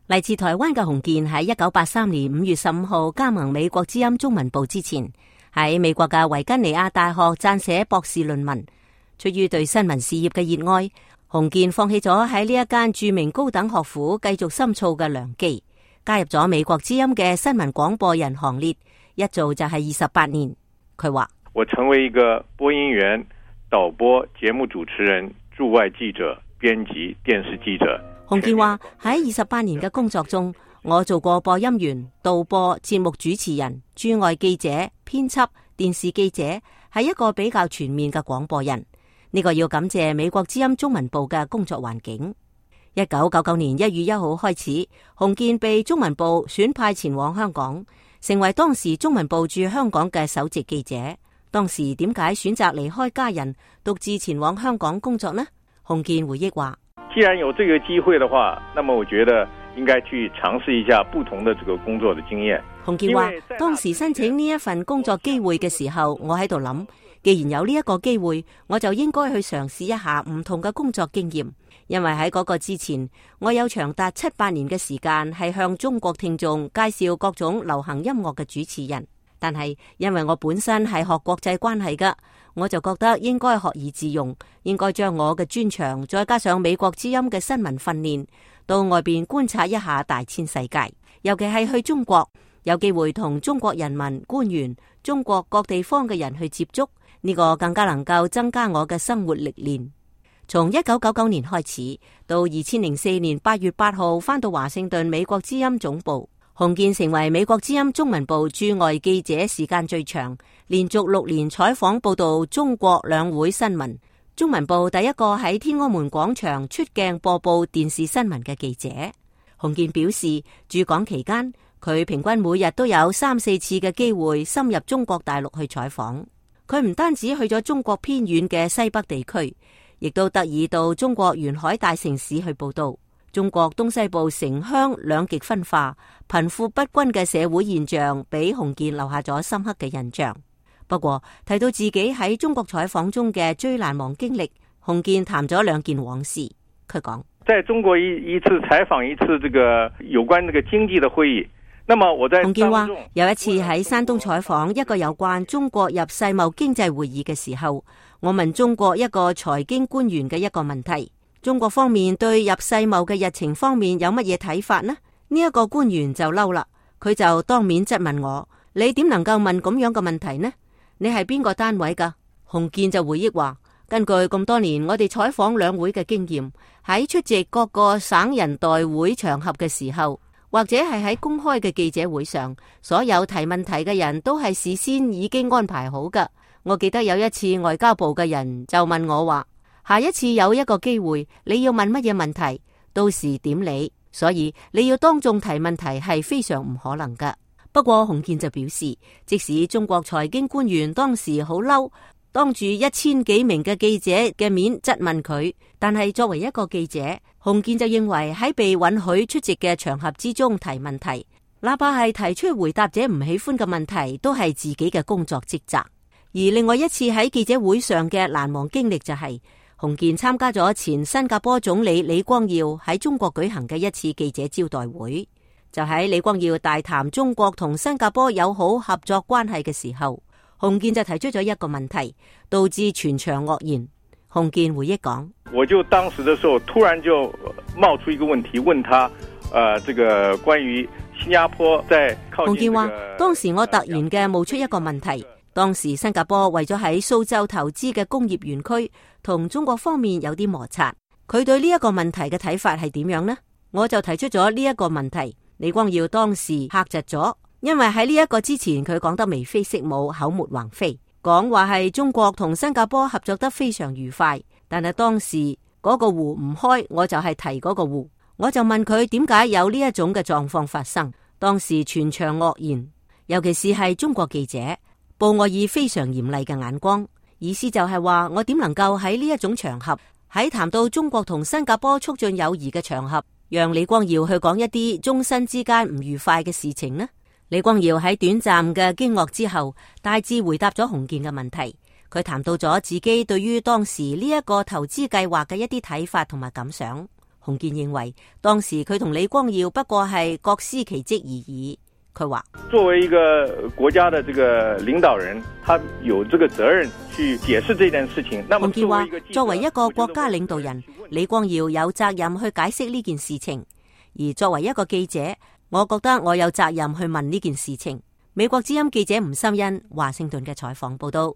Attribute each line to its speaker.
Speaker 1: 嚟自台灣嘅洪建喺1983年5月15號加盟美國之音中文部之前，喺美國嘅維吉尼亞大學撰寫博士論文。出於對新聞事業嘅熱愛，洪建放棄咗喺呢一間著名高等學府繼續深造嘅良機，加入咗美國之音嘅新聞廣播人行列，一做就係28年。佢話：
Speaker 2: 我成為一個播音員、導播、節目主持人、駐外記者、編輯、電視記者。
Speaker 1: 洪建話喺28年嘅工作中，我做過播音員、導播、節目主持人、駐外記者、編輯、電視記者，係一個比較全面嘅廣播人。呢個要感謝美國之音中文部嘅工作環境。1999年1月1號開始，洪建被中文部選派前往香港，成為當時中文部駐香港嘅首席記者。當時點解選擇離開家人，獨自前往香港工作呢？洪建回憶話：
Speaker 2: 既然有這個機會的話，那麼我覺得應該去嘗試一下不同的這個工作的經驗。
Speaker 1: 洪建話：當時申請呢一份工作機會嘅時候，我喺度諗，既然有呢一個機會，我就應該去嘗試一下唔同嘅工作經驗。因為喺嗰個之前，我有長達7-8年嘅時間係向中國聽眾介紹各種流行音樂嘅主持人。但係因為我本身係學國際關係㗎，我就覺得應該學以致用，應該將我嘅專長再加上美國之音嘅新聞訓練，到外邊觀察一下大千世界。尤其係去中國，有機會同中國人民、官員、中國各地方嘅人去接觸，呢個更加能夠增加我嘅生活歷練。從1999年開始，到2004年8月8號返到華盛頓美國之音總部。洪建成為美國之音中文部駐外記者時間最長，連續6年採訪報道中國兩會新聞，中文部第一個喺天安門廣場出鏡播報電視新聞嘅記者。洪建表示，駐港期間，佢平均每日都有3-4次嘅機會深入中國大陸去採訪。佢唔單止去咗中國偏遠嘅西北地區，亦都特意到中國沿海大城市去報道。中國東西部城鄉兩極分化、貧富不均嘅社會現象，俾洪建留下咗深刻嘅印象。不過提到自己喺中國採訪中嘅最難忘經歷，洪建談咗2件往事。佢講：
Speaker 2: 在中國一次採訪一次這個有關這個經濟的會議，那麼我在
Speaker 1: 洪建話有一次喺山東採訪一個有關中國入世貿經濟會議嘅時候，我問中國一個財經官員嘅一個問題。中國方面對入世貿嘅日程方面有乜嘢睇法呢？呢一個官員就嬲啦，佢就當面質問我：你點能夠問咁樣嘅問題呢？你係邊個單位噶？洪建就回憶話：根據咁多年我哋採訪兩會嘅經驗，喺出席各個省人代會場合嘅時候，或者係喺公開嘅記者會上，所有提問題嘅人都係事先已經安排好噶。我記得有一次外交部嘅人就問我話：下一次有一個機會，你要問乜嘢問題，到時點理，所以你要當眾提問題係非常唔可能噶。不過洪建就表示，即使中國財經官員當時好嬲，當住1000幾名嘅記者嘅面質問佢，但係作為一個記者，洪建就認為喺被允許出席嘅場合之中提問題，哪怕係提出回答者唔喜歡嘅問題，都係自己嘅工作職責。而另外一次喺記者會上嘅難忘經歷就係，洪建參加咗前新加坡總理李光耀喺中國舉行嘅一次記者招待會，就喺李光耀大談中國同新加坡友好合作關係嘅時候，洪建就提出咗一個問題，導致全場愕然。洪建回憶講：
Speaker 2: 我就當時的時候突然就冒出一個問題，問他，這個關於新加坡在靠近。
Speaker 1: 洪建話：當時我突然嘅冒出一個問題。當時新加坡為咗喺蘇州投資嘅工業園區同中國方面有啲摩擦，佢對呢一個問題嘅睇法係點樣呢？我就提出咗呢一個問題，李光耀當時嚇窒咗，因為喺呢一個之前佢講得眉飛色舞、口沫橫飛，講話係中國同新加坡合作得非常愉快，但係當時嗰個湖唔開，我就係提嗰個湖，我就問佢點解有呢一種嘅狀況發生。當時全場愕然，尤其是係中國記者，報我以非常嚴厲嘅眼光，意思就係話我點能夠喺呢一種場合，喺談到中國同新加坡促進友誼嘅場合，讓李光耀去講一啲中新之間唔愉快嘅事情呢？李光耀喺短暫嘅驚愕之後，大致回答咗洪建嘅問題。佢談到咗自己對於當時呢一個投資計劃嘅一啲睇法同埋感想。洪建認為當時佢同李光耀不過係各司其職而已。佢話：
Speaker 2: 作為一個國家的這個領導人，他有這個責任去解釋這件事情。
Speaker 1: 洪建話：作為一個國家領導人，李光耀有責任去解釋呢件事情，而作為一個記者，我覺得我有責任去問呢件事情。美國之音記者吳心欣華盛頓嘅採訪報道。